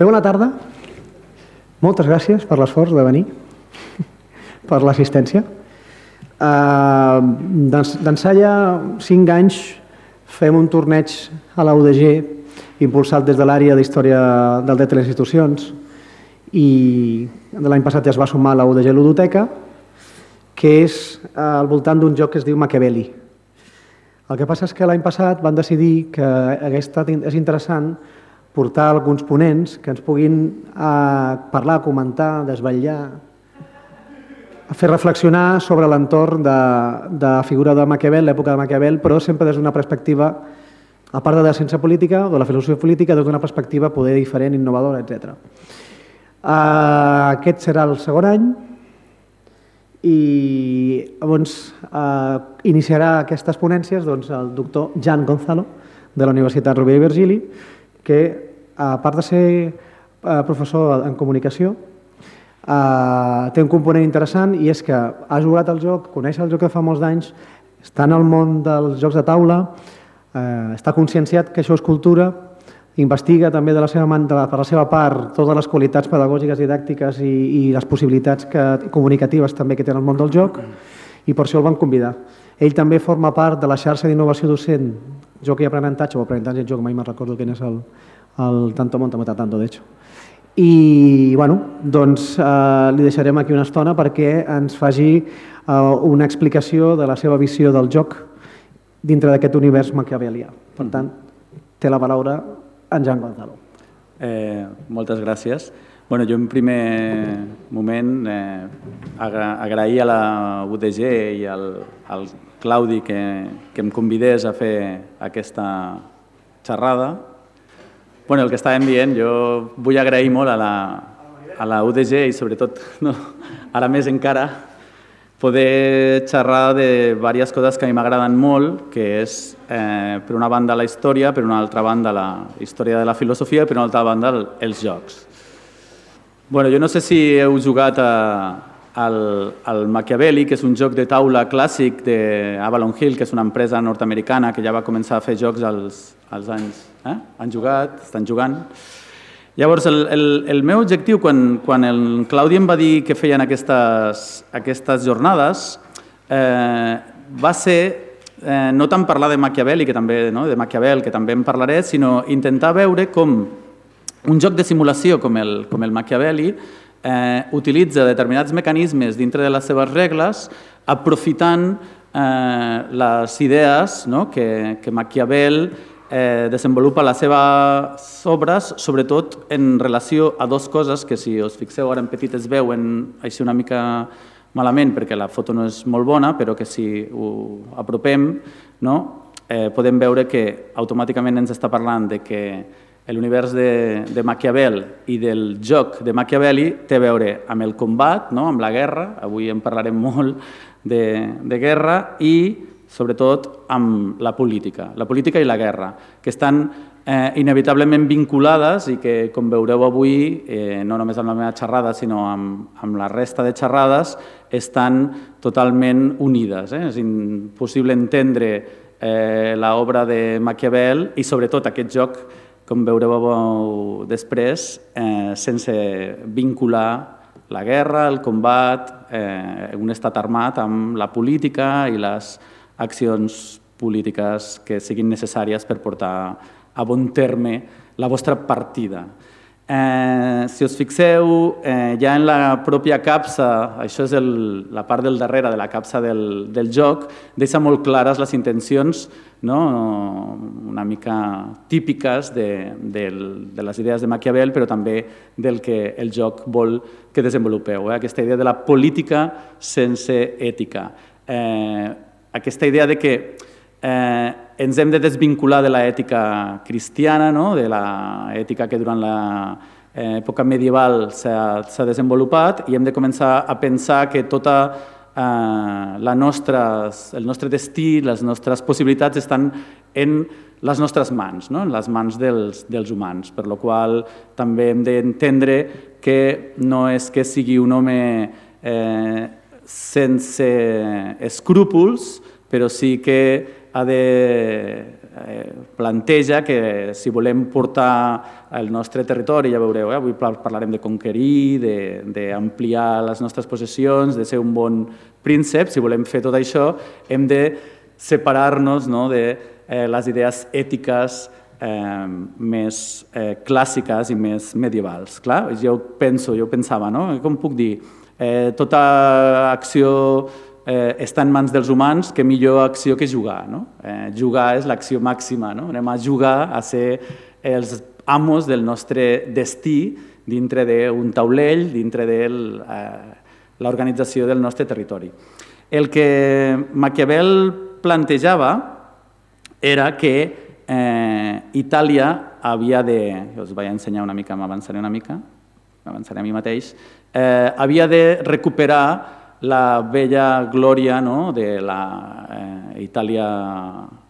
Bona tarda. Moltes gràcies per l'esforç de venir, per l'assistència. D'ençà ja 5 anys fem un torneig a la UDG impulsat des de l'àrea d'Història del Dret i les Institucions i l'any passat ja es va sumar a la UDG Ludoteca, que és al voltant d'un joc que es diu Machiavelli. El que passa és que l'any passat van decidir que és interessant portar alguns ponents que ens puguin parlar, comentar, desvetllar, fer reflexionar sobre l'entorn de la figura de Maquiavel, l'època de Maquiavel, però sempre des d'una perspectiva, a part de la ciència política o de la filosofia política, des d'una perspectiva poder diferent, innovadora, etc. Aquest serà el segon any i llavors iniciarà aquestes ponències el doctor Jan Gonzalo de la Universitat Rovira i Virgili, que a part de ser professor en comunicació té un component interessant i és que ha jugat al joc, coneix el joc de fa molts anys, està en el món dels jocs de taula, està conscienciat que això és cultura, investiga també per la seva part totes les qualitats pedagògiques, didàctiques i les possibilitats comunicatives també que té en el món del joc i per això el van convidar. Ell també forma part de la xarxa d'innovació docent, joc i aprenentatge, o aprenentatge en joc, mai me'n recordo quin és el tanto monta tanto, de hecho. I doncs li deixarem aquí una estona perquè ens faci una explicació de la seva visió del joc dintre d'aquest univers maquiavelià. Per tant, té la paraula en Jan Gonzalo. Moltes gràcies. Jo en primer moment agrair a la UDG i al Claudi que em convidés a fer aquesta xerrada. El que estàvem dient, jo vull agrair molt a la UDG i sobretot, ara més encara, poder xerrar de diverses coses que a mi m'agraden molt, que és, per una banda, la història, per una altra banda, la història de la filosofia i per una altra banda, els jocs. Jo no sé si heu jugat al Machiavelli, que és un joc de taula clàssic d'Avalon Hill, que és una empresa nord-americana que ja va començar a fer jocs als anys... Han jugat, estan jugant. Llavors, el meu objectiu, quan el Claudi em va dir que feien aquestes jornades, va ser no tant parlar de Machiavelli, de Maquiavel, que també en parlaré, sinó intentar veure com un joc de simulació com el Machiavelli utilitza determinats mecanismes dintre de les seves regles, aprofitant les idees que Maquiavel desenvolupa a les seves obres, sobretot en relació a dues coses que, si us fixeu ara en petit, es veuen així una mica malament perquè la foto no és molt bona, però que si ho apropem podem veure que automàticament ens està parlant de que l'univers de Maquiavel i del joc de Machiavelli té a veure amb el combat, amb la guerra, avui en parlarem molt de guerra, i sobretot amb la política i la guerra, que estan inevitablement vinculades i que, com veureu avui, no només amb la meva xerrada, sinó amb la resta de xerrades, estan totalment unides. És impossible entendre l'obra de Maquiavel i, sobretot, aquest joc, com veureu després, sense vincular la guerra, el combat, un estat armat amb la política i les accions polítiques que siguin necessàries per portar a bon terme la vostra partida. Si us fixeu, ja en la pròpia capsa, això és la part del darrere de la capsa del joc, deixa molt clares les intencions una mica típiques de les idees de Maquiavel, però també del que el joc vol que desenvolupeu. Aquesta idea de la política sense ètica. Aquesta idea de que ens hem de desvincular de l'ètica cristiana, de l'ètica que durant l'època medieval s'ha desenvolupat, i hem de començar a pensar que tota el nostre destí, les nostres possibilitats estan en les nostres mans, en les mans dels humans, per la qual també hem d'entendre que no és que sigui un home sense escrúpols, però sí que ha de planteja que si volem portar el nostre territori, ja veureu, avui parlarem de conquerir, d'ampliar les nostres possessions, de ser un bon príncep, si volem fer tot això hem de separar-nos de les idees ètiques més clàssiques i més medievals. Clar, jo pensava, com puc dir, tota acció està en mans dels humans, que millor acció que jugar. Jugar és l'acció màxima, anem a jugar a ser els amos del nostre destí dintre d'un taulell, dintre de l'organització del nostre territori. El que Maquiavel plantejava era que Itàlia havia de... Us vaig ensenyar una mica, m'avançaré una mica, m'avançaré a mi mateix, havia de recuperar la vella glòria de la Itàlia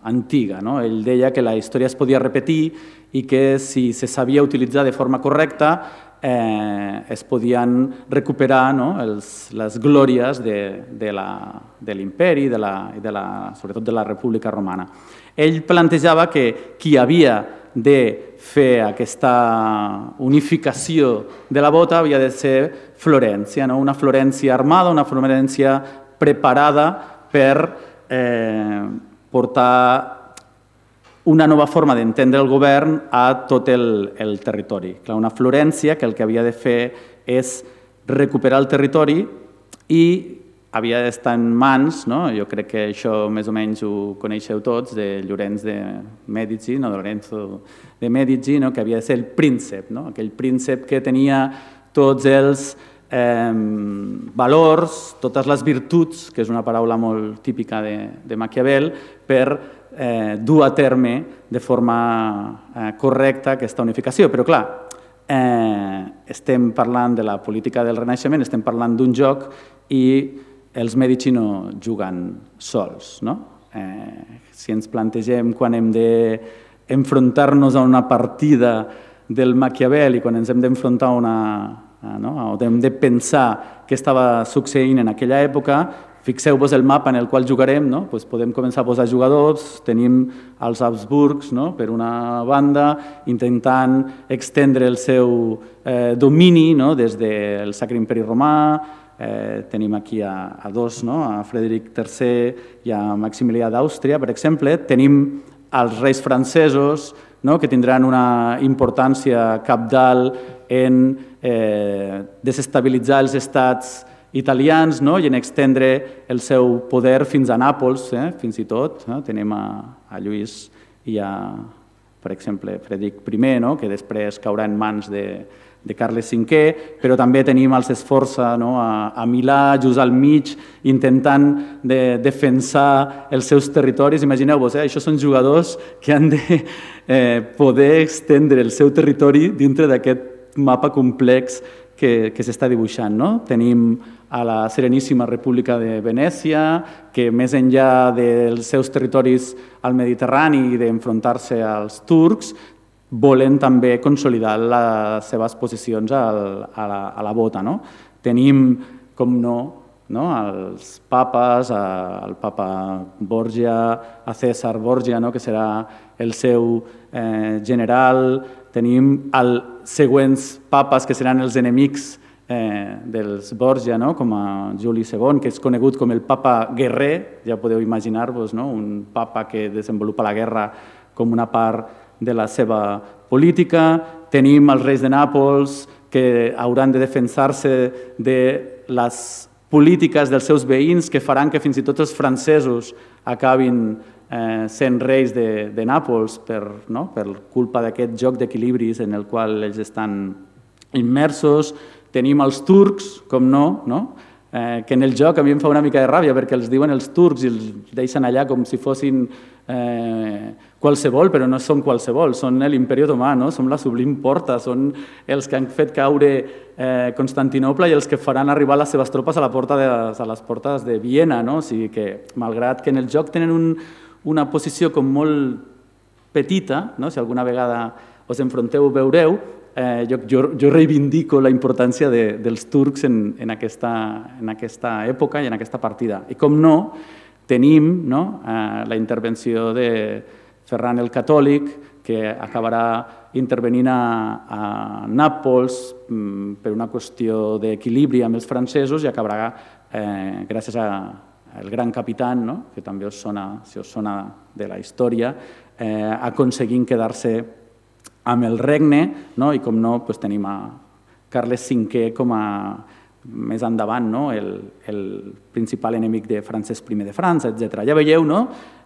antiga. Ell deia que la història es podia repetir i que si se sabia utilitzar de forma correcta es podien recuperar les glòries de l'imperi i sobretot de la República Romana. Ell plantejava que qui havia de fer aquesta unificació de la bota havia de ser Florència, una Florència armada, una Florència preparada per portar una nova forma d'entendre el govern a tot el territori. Una Florència que el que havia de fer és recuperar el territori i havia d'estar en mans, jo crec que això més o menys ho coneixeu tots, de Llorenç de Mèdici, Lorenzo de Mèdici, que havia de ser el príncep, aquell príncep que tenia tots els valors, totes les virtuts, que és una paraula molt típica de Maquiavel, per dur a terme de forma correcta aquesta unificació. Però clar, estem parlant de la política del Renaixement, estem parlant d'un joc i els Mèdici no juguen sols. Si ens plantegem quan hem d'enfrontar-nos a una partida del Maquiavel i quan ens hem d'enfrontar o hem de pensar què estava succeint en aquella època, fixeu-vos el mapa en el qual jugarem, podem començar a posar jugadors, tenim els Habsburgs per una banda, intentant extendre el seu domini des del Sacre Imperi Romà. Tenim aquí a dos, a Frederic III i a Maximilià d'Àustria, per exemple. Tenim els reis francesos, que tindran una importància cabdal en desestabilitzar els estats italians i en extendre el seu poder fins a Nàpols, fins i tot. Tenim a Lluís i a, per exemple, Frederic I, que després caurà en mans de Carles V, però també tenim els Sforza a Milà, just al mig, intentant defensar els seus territoris. Imagineu-vos, això són jugadors que han de poder extendre el seu territori dintre d'aquest mapa complex que s'està dibuixant. Tenim a la Sereníssima República de Venècia, que més enllà dels seus territoris al Mediterrani i d'enfrontar-se als turcs, volen també consolidar les seves posicions a la bota. Tenim, com no, els papes, el papa Borgia, a César Borgia, que serà el seu general. Tenim els següents papes, que seran els enemics dels Borgia, com a Juli II, que és conegut com el papa guerrer. Ja podeu imaginar-vos un papa que desenvolupa la guerra com una part de la seva política. Tenim els reis de Nàpols, que hauran de defensar-se de les polítiques dels seus veïns, que faran que fins i tot els francesos acabin sent reis de Nàpols per culpa d'aquest joc d'equilibris en el qual ells estan immersos. Tenim els turcs, com no, que en el joc a mi em fa una mica de ràbia perquè els diuen els turcs i els deixen allà com si fossin qualsevol, però no són qualsevol, són l'imperi otomà, són la Sublim Porta, són els que han fet caure Constantinoble i els que faran arribar les seves tropes a les portes de Viena. O sigui que, malgrat que en el joc tenen una posició com molt petita, si alguna vegada us enfronteu ho veureu, jo reivindico la importància dels turcs en aquesta època i en aquesta partida. I com no, tenim la intervenció de Ferran el Catòlic, que acabarà intervenint a Nàpols per una qüestió d'equilibri amb els francesos i acabarà, gràcies al gran capità, que també si us sona de la història, aconseguint quedar-se amb el regne, i com no tenim a Carles V com a més endavant el principal enemic de Francesc I de França, etc. Ja veieu,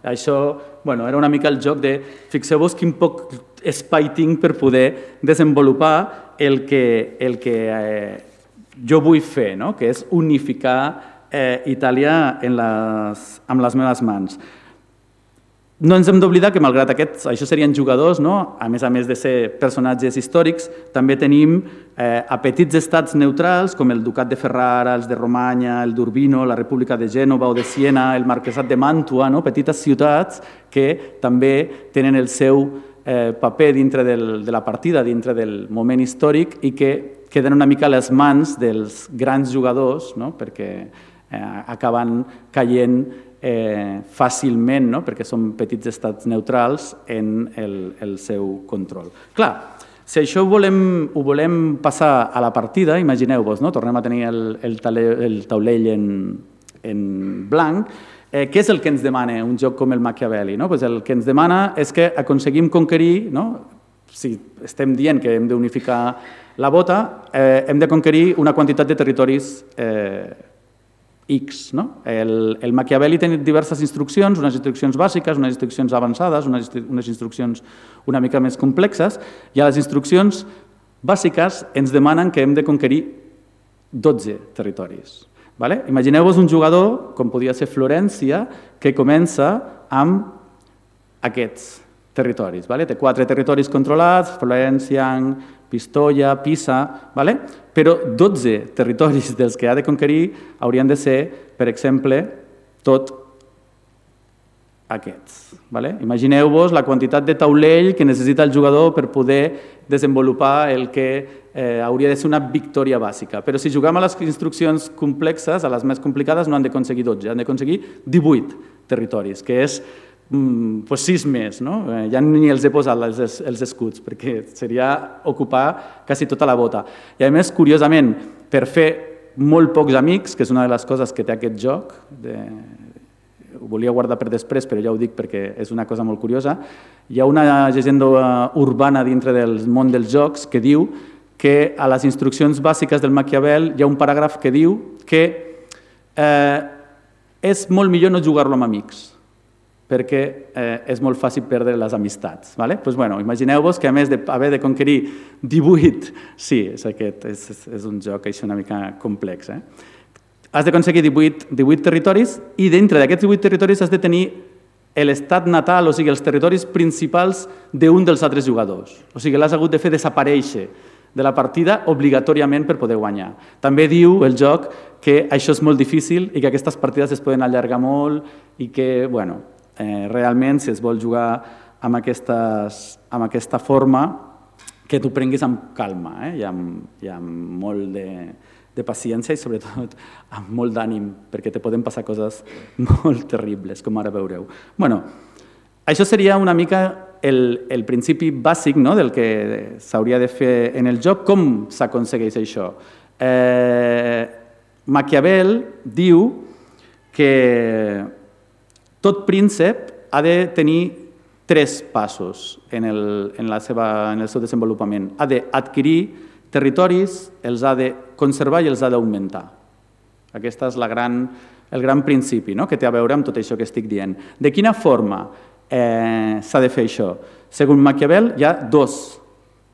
això era una mica el joc de fixeu-vos quin poc espai tinc per poder desenvolupar el que jo vull fer, que és unificar Itàlia amb les meves mans. No ens hem d'oblidar que, malgrat aquests, això serien jugadors, a més de ser personatges històrics, també tenim a petits estats neutrals, com el Ducat de Ferrara, els de Romanya, el d'Urbino, la República de Gènova o de Siena, el Marquesat de Màntua, petites ciutats que també tenen el seu paper dintre de la partida, dintre del moment històric i que queden una mica a les mans dels grans jugadors, perquè acaben caient fàcilment, perquè són petits estats neutrals en el seu control. Clar, si això ho volem passar a la partida, imagineu-vos, tornem a tenir el taulell en blanc, què és el que ens demana un joc com el Machiavelli? El que ens demana és que aconseguim conquerir, si estem dient que hem d'unificar la bota, hem de conquerir una quantitat de territoris X. El Machiavelli té diverses instruccions, unes instruccions bàsiques, unes instruccions avançades, unes instruccions una mica més complexes, i a les instruccions bàsiques ens demanen que hem de conquerir 12 territoris. Imagineu-vos un jugador, com podia ser Florència, que comença amb aquests territoris. Té 4 territoris controlats, Florència, Pistoia, Pisa, però 12 territoris dels que ha de conquerir haurien de ser, per exemple, tot aquests. Imagineu-vos la quantitat de taulell que necessita el jugador per poder desenvolupar el que hauria de ser una victòria bàsica. Però si juguem a les instruccions complexes, a les més complicades, no han d'aconseguir 12, han d'aconseguir 18 territoris, que és 6 més. Ja ni els he posat els escuts, perquè seria ocupar quasi tota la bota. I a més, curiosament, per fer molt pocs amics, que és una de les coses que té aquest joc, ho volia guardar per després, però ja ho dic perquè és una cosa molt curiosa, hi ha una llegenda urbana dintre del món dels jocs que diu que a les instruccions bàsiques del Maquiavel hi ha un paràgraf que diu que és molt millor no jugar-lo amb amics, perquè és molt fàcil perdre les amistats. Imagineu-vos que a més d'haver de conquerir 18... Sí, és un joc una mica complex. Has d'aconseguir 18 territoris i dintre d'aquests 18 territoris has de tenir l'estat natal, o sigui, els territoris principals d'un dels altres jugadors. O sigui, l'has hagut de fer desaparèixer de la partida obligatòriament per poder guanyar. També diu el joc que això és molt difícil i que aquestes partides es poden allargar molt i que, realment, si es vol jugar amb aquesta forma, que t'ho prenguis amb calma i amb molt de paciència i, sobretot, amb molt d'ànim, perquè te poden passar coses molt terribles, com ara veureu. Això seria una mica el principi bàsic del que s'hauria de fer en el joc. Com s'aconsegueix això? Maquiavel diu que tot príncep ha de tenir 3 passos en el seu desenvolupament. Ha d'adquirir territoris, els ha de conservar i els ha d'augmentar. Aquest és el gran principi que té a veure amb tot això que estic dient. De quina forma s'ha de fer això? Segons Maquiavel, hi ha 2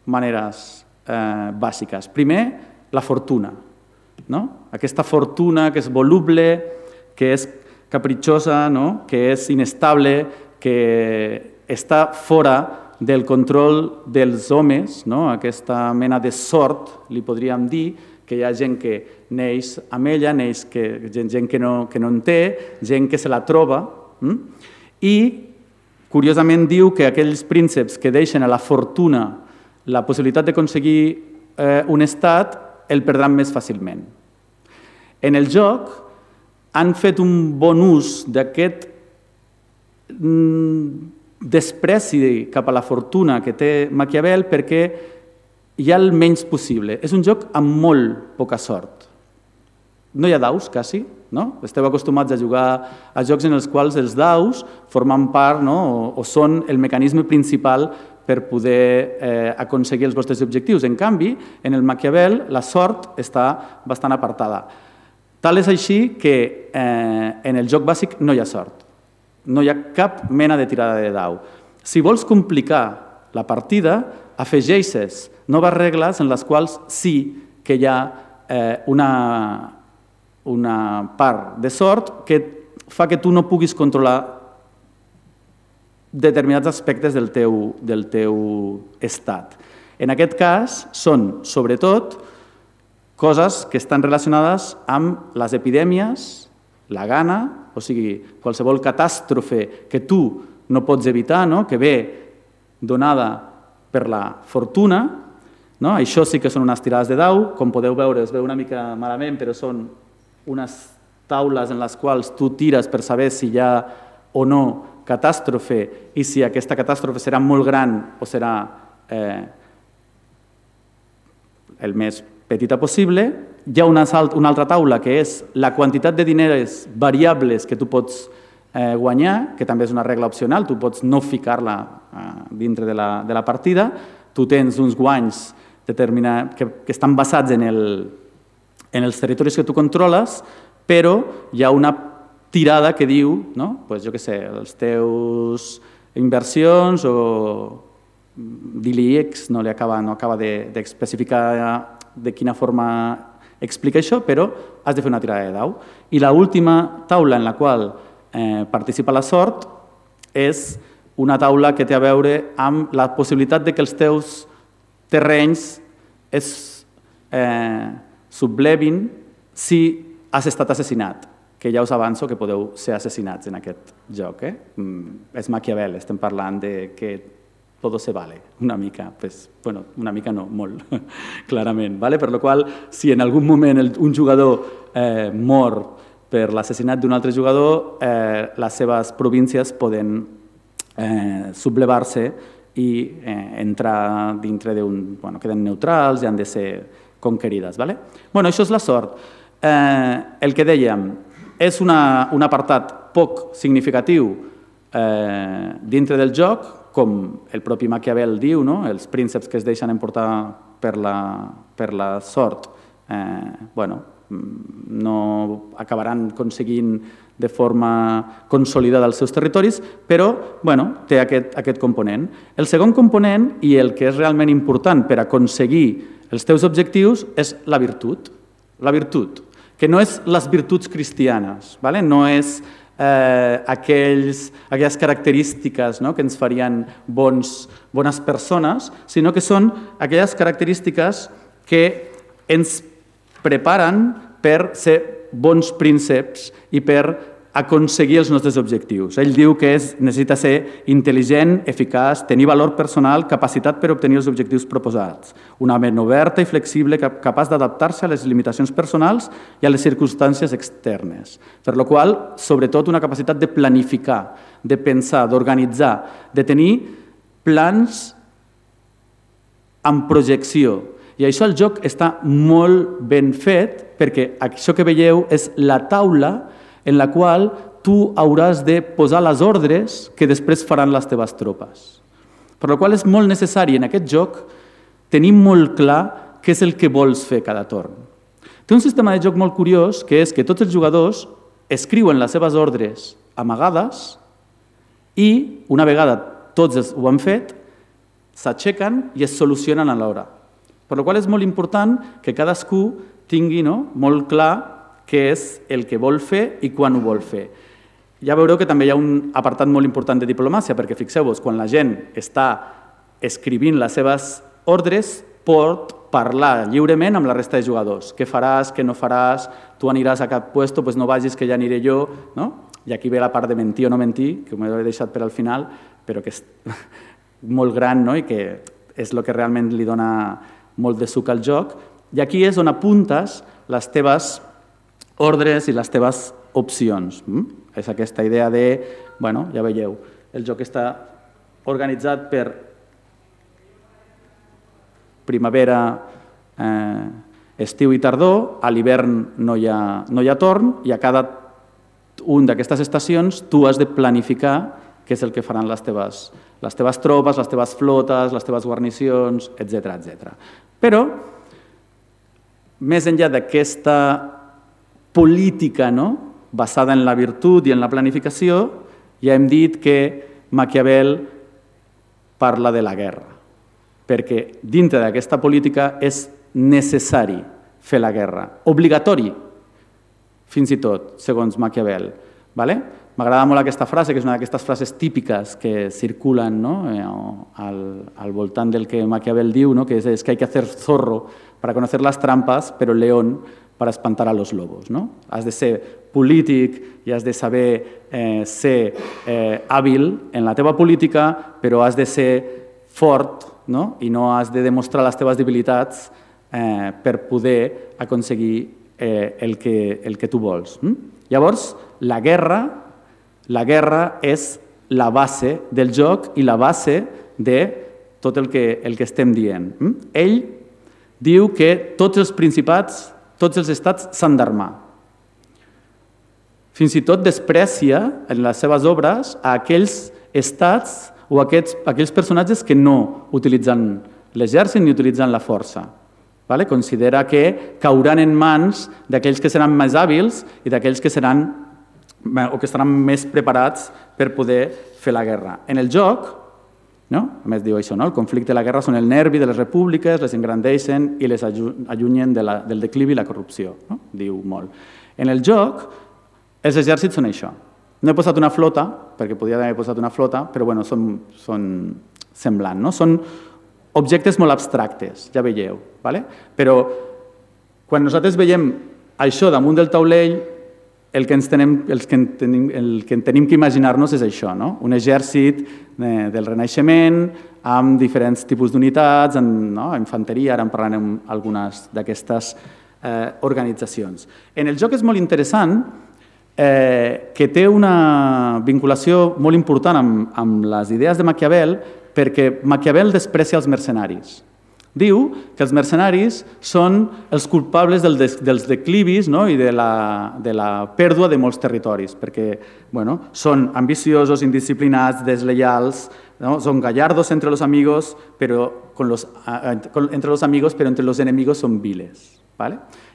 maneres bàsiques. Primer, la fortuna. Aquesta fortuna que és voluble, que és capritxosa, que és inestable, que està fora del control dels homes, aquesta mena de sort, li podríem dir, que hi ha gent que neix amb ella, gent que no en té, gent que se la troba, i curiosament diu que aquells prínceps que deixen a la fortuna la possibilitat d'aconseguir un estat el perdran més fàcilment. En el joc han fet un bon ús d'aquest despreci cap a la fortuna que té Maquiavel perquè hi ha el menys possible. És un joc amb molt poca sort. No hi ha daus, quasi, no? Esteu acostumats a jugar a jocs en els quals els daus formen part, no? O són el mecanisme principal per poder aconseguir els vostres objectius. En canvi, en el Maquiavel, la sort està bastant apartada. Tal és així que en el joc bàsic no hi ha sort. No hi ha cap mena de tirada de dau. Si vols complicar la partida, afegeixes noves regles en les quals sí que hi ha una part de sort que fa que tu no puguis controlar determinats aspectes del teu estat. En aquest cas, són, sobretot, coses que estan relacionades amb les epidèmies, la gana, o sigui, qualsevol catàstrofe que tu no pots evitar, que ve donada per la fortuna. Això sí que són unes tirades de dau. Com podeu veure, es veu una mica malament, però són unes taules en les quals tu tires per saber si hi ha o no catàstrofe i si aquesta catàstrofe serà molt gran o serà el més petita possible. Hi ha una altra taula que és la quantitat de diners variables que tu pots guanyar, que també és una regla opcional, tu pots no ficar-la dintre de la partida. Tu tens uns guanys que estan basats en els territoris que tu controles, però hi ha una tirada que diu, jo què sé, les teus inversions o d'ILIX no acaba d'especificar de quina forma explica això, però has de fer una tirada de dau. I l'última taula en la qual participa la sort és una taula que té a veure amb la possibilitat de que els teus terrenys es sublevin si has estat assassinat, que ja us avanço que podeu ser assassinats en aquest joc. És Maquiavel, estem parlant de que todo se vale, una mica, bueno, una mica no, molt, clarament. Per la qual, si en algun moment un jugador mor per l'assassinat d'un altre jugador, les seves províncies poden sublevar-se i entrar dintre d'un... queden neutrals i han de ser conquerides. Això és la sort. El que dèiem, és un apartat poc significatiu dintre del joc, com el propi Maquiavel diu, els prínceps que es deixen emportar per la sort no acabaran aconseguint de forma consolidada els seus territoris, però té aquest component. El segon component, i el que és realment important per aconseguir els teus objectius, és la virtut. La virtut, que no és les virtuts cristianes, no és aquelles característiques que ens farien bones persones, sinó que són aquelles característiques que ens preparen per ser bons prínceps i per aconseguir els nostres objectius. Ell diu que necessita ser intel·ligent, eficaç, tenir valor personal, capacitat per obtenir els objectius proposats, una ment oberta i flexible capaç d'adaptar-se a les limitacions personals i a les circumstàncies externes. Per la qual, sobretot, una capacitat de planificar, de pensar, d'organitzar, de tenir plans amb projecció. I això el joc està molt ben fet perquè això que veieu és la taula en la qual tu hauràs de posar les ordres que després faran les teves tropes. Per la qual és molt necessari en aquest joc tenir molt clar què és el que vols fer cada torn. Té un sistema de joc molt curiós, que és que tots els jugadors escriuen les seves ordres amagades i, una vegada tots ho han fet, s'aixequen i es solucionen alhora. Per la qual és molt important que cadascú tingui molt clar què és el que vol fer i quan ho vol fer. Ja veureu que també hi ha un apartat molt important de diplomàcia, perquè fixeu-vos, quan la gent està escrivint les seves ordres, pot parlar lliurement amb la resta de jugadors. Què faràs, què no faràs, tu aniràs a cap puesto, doncs no vagis que ja aniré jo. I aquí ve la part de mentir o no mentir, que m'ho he deixat per al final, però que és molt gran i que és el que realment li dona molt de suc al joc. I aquí és on apuntes les teves ordres i les teves opcions. És aquesta idea de, ja veieu, el joc està organitzat per primavera, estiu i tardor, a l'hivern no hi ha torn i a cada una d'aquestes estacions tu has de planificar què és el que faran les teves tropes, les teves flotes, les teves guarnicions, etc. Però, més enllà d'aquesta política basada en la virtut i en la planificació, ja hem dit que Maquiavel parla de la guerra, perquè dintre d'aquesta política és necessari fer la guerra, obligatori, fins i tot, segons Maquiavel. M'agrada molt aquesta frase, que és una d'aquestes frases típiques que circulen al voltant del que Maquiavel diu, que és que hay que hacer zorro para conocer las trampas, pero león para espantar a los lobos. Has de ser polític i has de saber ser hàbil en la teva política, però has de ser fort i no has de demostrar les teves debilitats per poder aconseguir el que tu vols. Llavors, la guerra és la base del joc i la base de tot el que estem dient. Ell diu que tots els principats, tots els estats s'han d'armar. Fins i tot desprecia en les seves obres a aquells estats o a aquells personatges que no utilitzen l'exèrcit ni utilitzen la força. Considera que cauran en mans d'aquells que seran més hàbils i d'aquells que seran o que estaran més preparats per poder fer la guerra. En el joc, a més diu això, el conflicte i la guerra són el nervi de les repúbliques, les engrandeixen i les allunyen del declivi i la corrupció, diu molt. En el joc, els exèrcits són això. No he posat una flota, perquè podria haver posat una flota, però són semblants, són objectes molt abstractes, ja veieu. Però quan nosaltres veiem això damunt del taulell, el que tenim que imaginar-nos és això, un exèrcit del Renaixement amb diferents tipus d'unitats, infanteria, ara en parlarem algunes d'aquestes organitzacions. En el joc és molt interessant que té una vinculació molt important amb les idees de Maquiavel, perquè Maquiavel desprecia els mercenaris. Diu que els mercenaris són els culpables dels declivis i de la pèrdua de molts territoris, perquè són ambiciosos, indisciplinats, deslleials, són gallardos entre los amigos, però entre los enemigos són viles.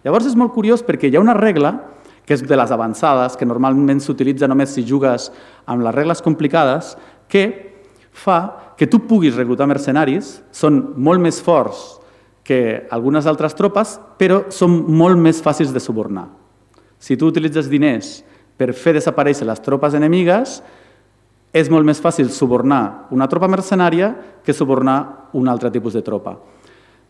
Llavors és molt curiós perquè hi ha una regla, que és de les avançades, que normalment s'utilitza només si jugues amb les regles complicades, que fa que tu puguis reclutar mercenaris, són molt més forts que algunes altres tropes, però són molt més fàcils de subornar. Si tu utilitzes diners per fer desaparèixer les tropes enemigues, és molt més fàcil subornar una tropa mercenària que subornar un altre tipus de tropa.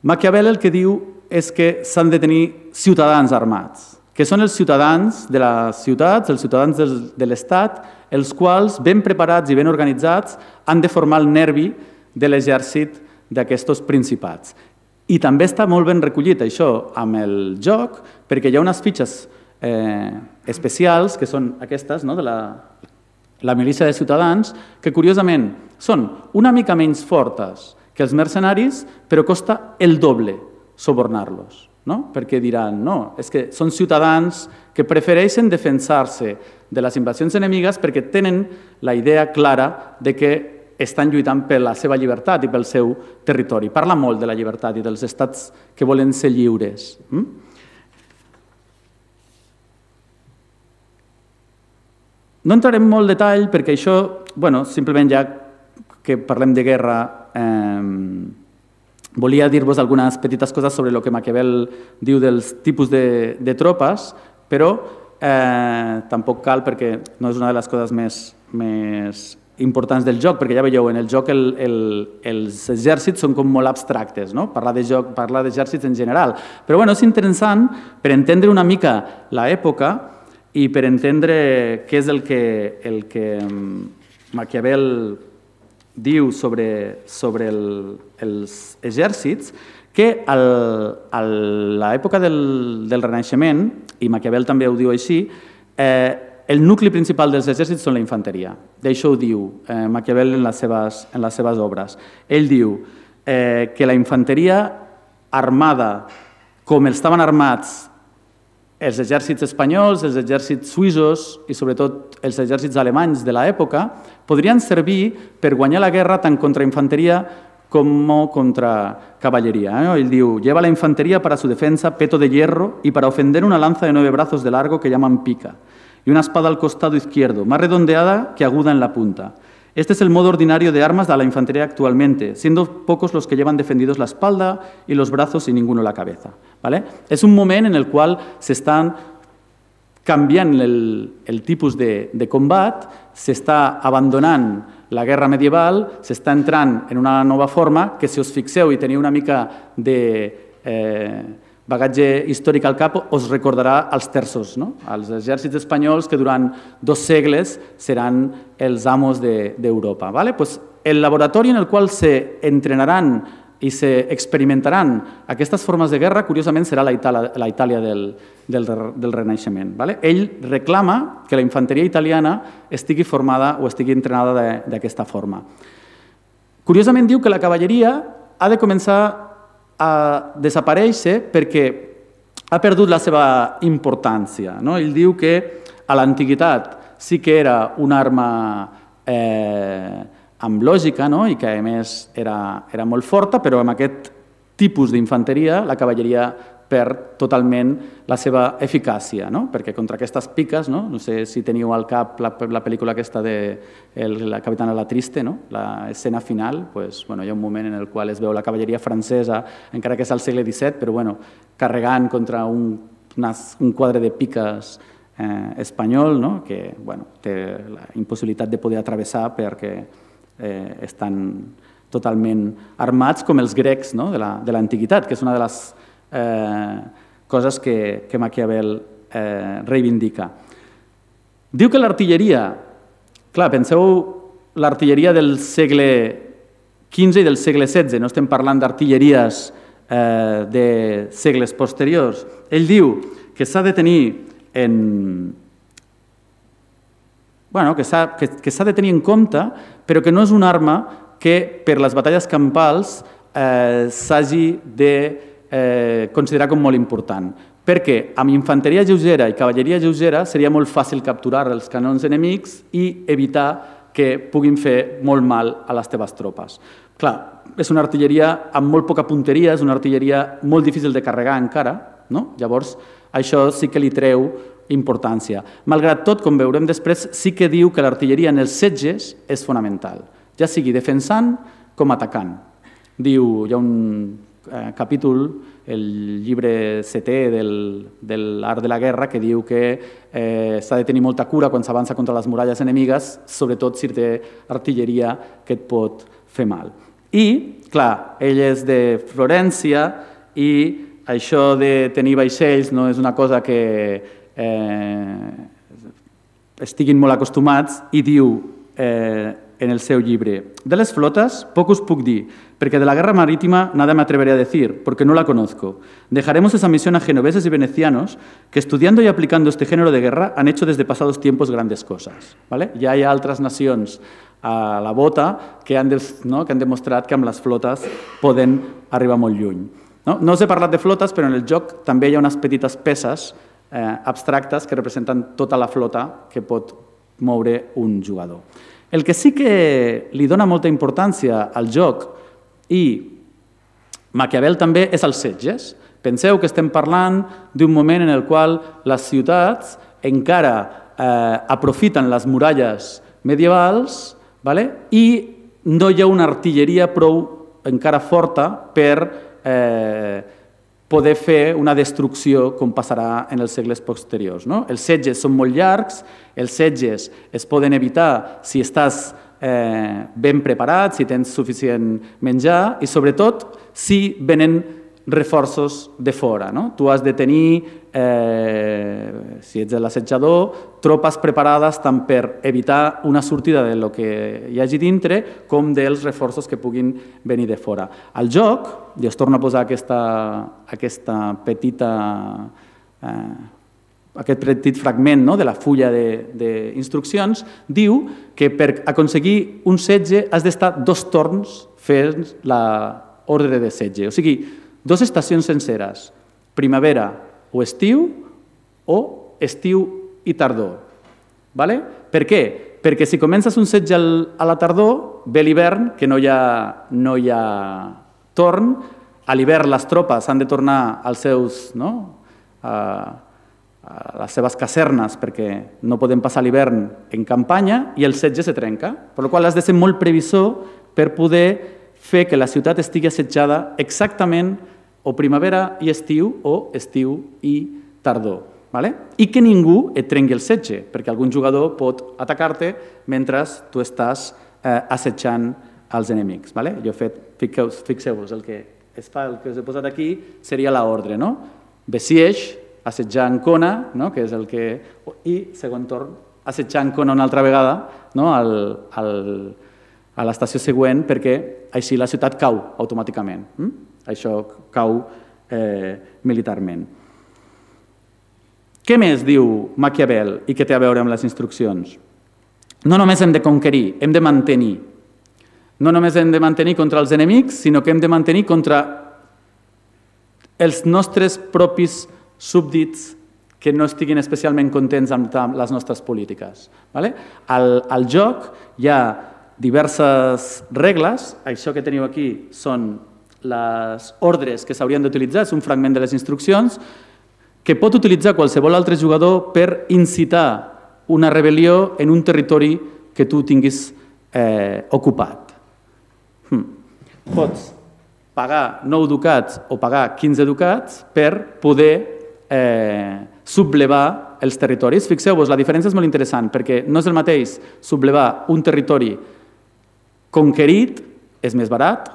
Maquiavel el que diu és que s'han de tenir ciutadans armats, que són els ciutadans de les ciutats, els ciutadans de l'Estat, els quals, ben preparats i ben organitzats, han de formar el nervi de l'exèrcit d'aquests principats. I també està molt ben recollit això amb el joc, perquè hi ha unes fitxes especials, que són aquestes, de la milícia de ciutadans, que curiosament són una mica menys fortes que els mercenaris, però costa el doble subornar-los. Perquè diran, no, és que són ciutadans que prefereixen defensar-se de les invasions enemigues perquè tenen la idea clara de que estan lluitant per la seva llibertat i pel seu territori. Parla molt de la llibertat i dels estats que volen ser lliures. No entrarem en molt detall perquè això, simplement ja que parlem de guerra, volia dir-vos algunes petites coses sobre el que Maquiavel diu dels tipus de tropes, però tampoc cal perquè no és una de les coses més importants del joc, perquè ja veieu, en el joc els exèrcits són com molt abstractes, parlar d'exèrcits en general. Però és interessant per entendre una mica l'època i per entendre què és el que Maquiavel diu sobre els exèrcits, que a l'època del Renaixement, i Maquiavel també ho diu així, el nucli principal dels exèrcits són la infanteria. D'això ho diu Maquiavel en les seves obres. Ell diu que la infanteria armada com estaven armats els exèrcits espanyols, els exèrcits suïssos i sobretot els exèrcits alemanys de l'època podrien servir per guanyar la guerra tant contra infanteria como contra caballería. Él dice, lleva la infantería para su defensa peto de hierro y para ofender una lanza de 9 brazos de largo que llaman pica y una espada al costado izquierdo, más redondeada que aguda en la punta. Este es el modo ordinario de armas de la infantería actualmente, siendo pocos los que llevan defendidos la espalda y los brazos y ninguno la cabeza. ¿Vale? És un moment en el qual s'estan canviant el tipus de combat, s'està abandonant la guerra medieval, s'està entrant en una nova forma que, si us fixeu i teniu una mica de bagatge històric al cap, us recordarà els terços, els exèrcits espanyols que durant 2 segles seran els amos d'Europa. El laboratori en el qual s'entrenaran i s'experimentaran aquestes formes de guerra, curiosament, serà la Itàlia del Renaixement. Ell reclama que la infanteria italiana estigui formada o estigui entrenada d'aquesta forma. Curiosament, diu que la cavalleria ha de començar a desaparèixer perquè ha perdut la seva importància. Ell diu que a l'antiguitat sí que era una arma amb lògica i que, a més, era molt forta, però amb aquest tipus d'infanteria la cavalleria perd totalment la seva eficàcia, perquè contra aquestes piques, no sé si teniu al cap la pel·lícula aquesta de la capitana La Triste, l'escena final, hi ha un moment en el qual es veu la cavalleria francesa, encara que és al segle XVII, però carregant contra un quadre de piques espanyol que té la impossibilitat de poder atravessar perquè estan totalment armats com els grecs de l'antiguitat, que és una de les coses que Maquiavel reivindica. Diu que l'artilleria, clar, penseu l'artilleria del segle XV i del segle XVI, no estem parlant d'artilleries de segles posteriors. Ell diu que s'ha de tenir que s'ha de tenir en compte, però que no és una arma que per les batalles campals s'hagi de considerar com molt important. Perquè amb infanteria lleugera i cavalleria lleugera seria molt fàcil capturar els canons enemics i evitar que puguin fer molt mal a les teves tropes. Clar, és una artilleria amb molt poca punteria, és una artilleria molt difícil de carregar encara, llavors això sí que li treu importància. Malgrat tot, com veurem després, sí que diu que l'artilleria en els setges és fonamental, ja sigui defensant com atacant. Diu, hi ha un capítol, el llibre 7è de l'art de la guerra, que diu que s'ha de tenir molta cura quan s'avança contra les muralles enemigues, sobretot si té artilleria que et pot fer mal. I, clar, ell és de Florència i això de tenir vaixells no és una cosa que estiguin molt acostumats i diu en el seu llibre: de les flotas poco os puc dir, porque de la guerra marítima nada me atreveré a decir, porque no la conozco. Dejaremos esa misión a genoveses y venecianos que, estudiando y aplicando este género de guerra, han hecho desde pasados tiempos grandes cosas. Ja hi ha altres nacions a la bota que han demostrat que amb les flotes poden arribar molt lluny. No us he parlat de flotes, però en el joc també hi ha unes petites peces abstractes que representen tota la flota que pot moure un jugador. El que sí que li dona molta importància al joc, i Maquiavel també, és els setges. Penseu que estem parlant d'un moment en el qual les ciutats encara aprofiten les muralles medievals i no hi ha una artilleria prou encara forta per poder fer una destrucció com passarà en els segles posteriors. Els setges són molt llargs, els setges es poden evitar si estàs ben preparat, si tens suficient menjar i, sobretot, si venen reforços de fora. Tu has de tenir, si ets l'assetjador, tropes preparades tant per evitar una sortida del que hi hagi dintre com dels reforços que puguin venir de fora. Al joc, i us torno a posar aquesta petita aquest petit fragment de la fulla d'instruccions, diu que per aconseguir un setge has d'estar 2 torns fent l'ordre de setge. O sigui, 2 estacions senceres, primavera o estiu i tardor. Per què? Perquè si comences un setge a la tardor, ve l'hivern, que no hi ha torn, a l'hivern les tropes han de tornar als seus... a les seves casernes perquè no podem passar l'hivern en campanya i el setge se trenca. Per la qual cosa has de ser molt previsor per poder fer que la ciutat estigui assetjada exactament o primavera i estiu o estiu i tardor. I que ningú et trenqui el setge, perquè algun jugador pot atacar-te mentre tu estàs assetjant els enemics. Fixeu-vos, el que us he posat aquí seria l'ordre. Besiege, assetjar Ancona, que és el que... I, segon torn, assetjar Ancona una altra vegada a l'estació següent perquè així la ciutat cau automàticament. Això cau militarment. Què més diu Maquiavel i què té a veure amb les instruccions? No només hem de conquerir, hem de mantenir. No només hem de mantenir contra els enemics, sinó que hem de mantenir contra els nostres propis súbdits que no estiguin especialment contents amb les nostres polítiques. Al joc hi ha diverses regles. Això que teniu aquí són les ordres que s'haurien d'utilitzar, és un fragment de les instruccions, que pot utilitzar qualsevol altre jugador per incitar una rebel·lió en un territori que tu tinguis ocupat. Pots pagar 9 ducats o pagar 15 ducats per poder sublevar els territoris. Fixeu-vos, la diferència és molt interessant, perquè no és el mateix sublevar un territori conquerit, és més barat,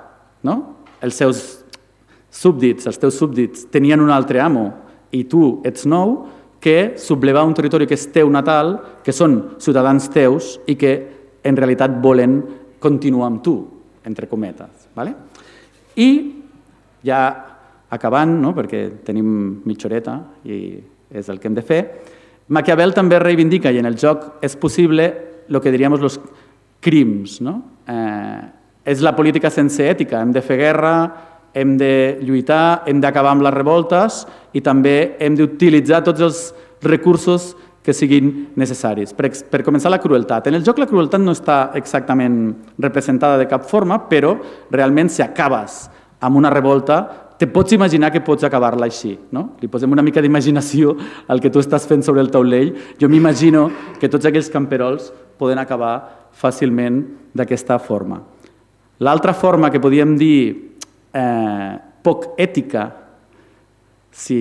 els seus súbdits, els teus súbdits tenien un altre amo i tu ets nou, que sublevar un territori que és teu natal, que són ciutadans teus i que en realitat volen continuar amb tu, entre cometes. I ja acabant, perquè tenim mitja horeta i és el que hem de fer, Maquiavel també reivindica, i en el joc és possible, el que diríem els crims. És la política sense ètica, hem de fer guerra, hem de lluitar, hem d'acabar amb les revoltes i també hem d'utilitzar tots els recursos que siguin necessaris. Per començar, la crueltat. En el joc la crueltat no està exactament representada de cap forma, però realment si acabes amb una revolta te pots imaginar que pots acabar-la així. Li posem una mica d'imaginació al que tu estàs fent sobre el taulell. Jo m'imagino que tots aquells camperols poden acabar fàcilment d'aquesta forma. L'altra forma que podíem dir poc ètica, si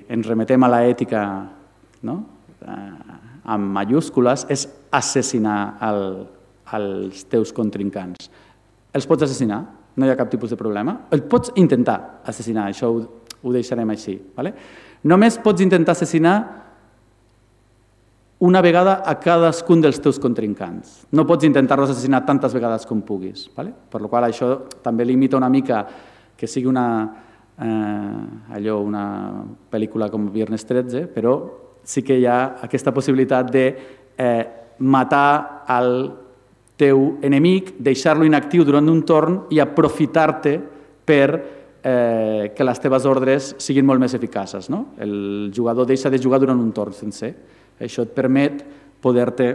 ens remetem a l'ètica amb majúscules, és assassinar els teus contrincants. Els pots assassinar, no hi ha cap tipus de problema. El pots intentar assassinar, això ho deixarem així. Només pots intentar assassinar una vegada a cadascun dels teus contrincants. No pots intentar-los assassinar tantes vegades com puguis. Per la qual cosa això també limita una mica que sigui una pel·lícula com Viernes 13, però sí que hi ha aquesta possibilitat de matar el teu enemic, deixar-lo inactiu durant un torn i aprofitar-te per que les teves ordres siguin molt més eficaces. El jugador deixa de jugar durant un torn sencer. Això et permet poder-te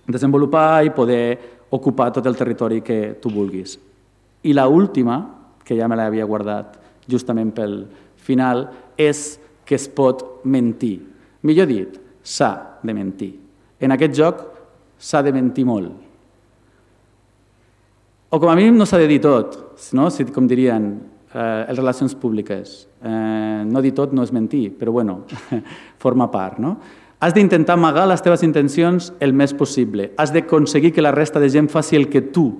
desenvolupar i poder ocupar tot el territori que tu vulguis. I l'última, que ja me l'havia guardat justament pel final, és que es pot mentir. Millor dit, s'ha de mentir. En aquest joc s'ha de mentir molt. O com a mínim no s'ha de dir tot, com dirien les relacions públiques. No dir tot no és mentir, però bueno, forma part. Has d'intentar amagar les teves intencions el més possible. Has d'aconseguir que la resta de gent faci el que tu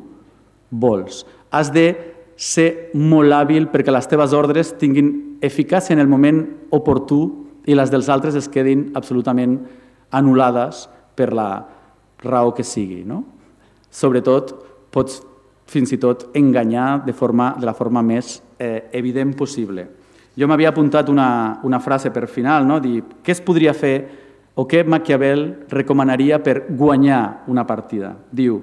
vols. Has de ser molt hàbil perquè les teves ordres tinguin eficàcia en el moment oportú i les dels altres es quedin absolutament anul·lades per la raó que sigui. Sobretot, pots fins i tot enganyar de la forma més evident possible. Jo m'havia apuntat una frase per final, dir què es podria fer o què Maquiavel recomanaria per guanyar una partida. Diu,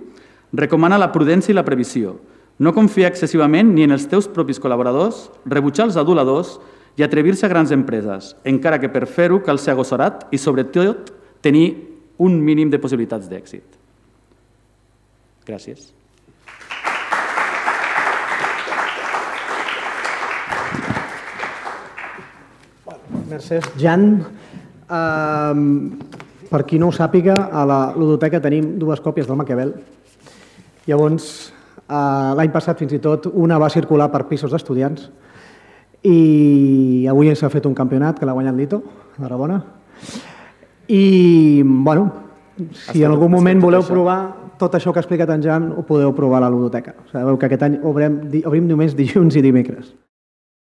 recomana la prudència i la previsió, no confiar excessivament ni en els teus propis col·laboradors, rebutjar els aduladors i atrevir-se a grans empreses, encara que per fer-ho cal ser agossarat i, sobretot, tenir un mínim de possibilitats d'èxit. Gràcies. Merci, Jan. Per qui no ho sàpiga, a la ludoteca tenim 2 còpies del Maquiavel. Llavors, l'any passat fins i tot una va circular per pisos d'estudiants i avui s'ha fet un campionat que l'ha guanyat Lito, a Tarragona. I, bueno, si en algun moment voleu provar tot això que ha explicat en Jan, ho podeu provar a la ludoteca. Sabeu que aquest any obrim només dilluns i dimecres.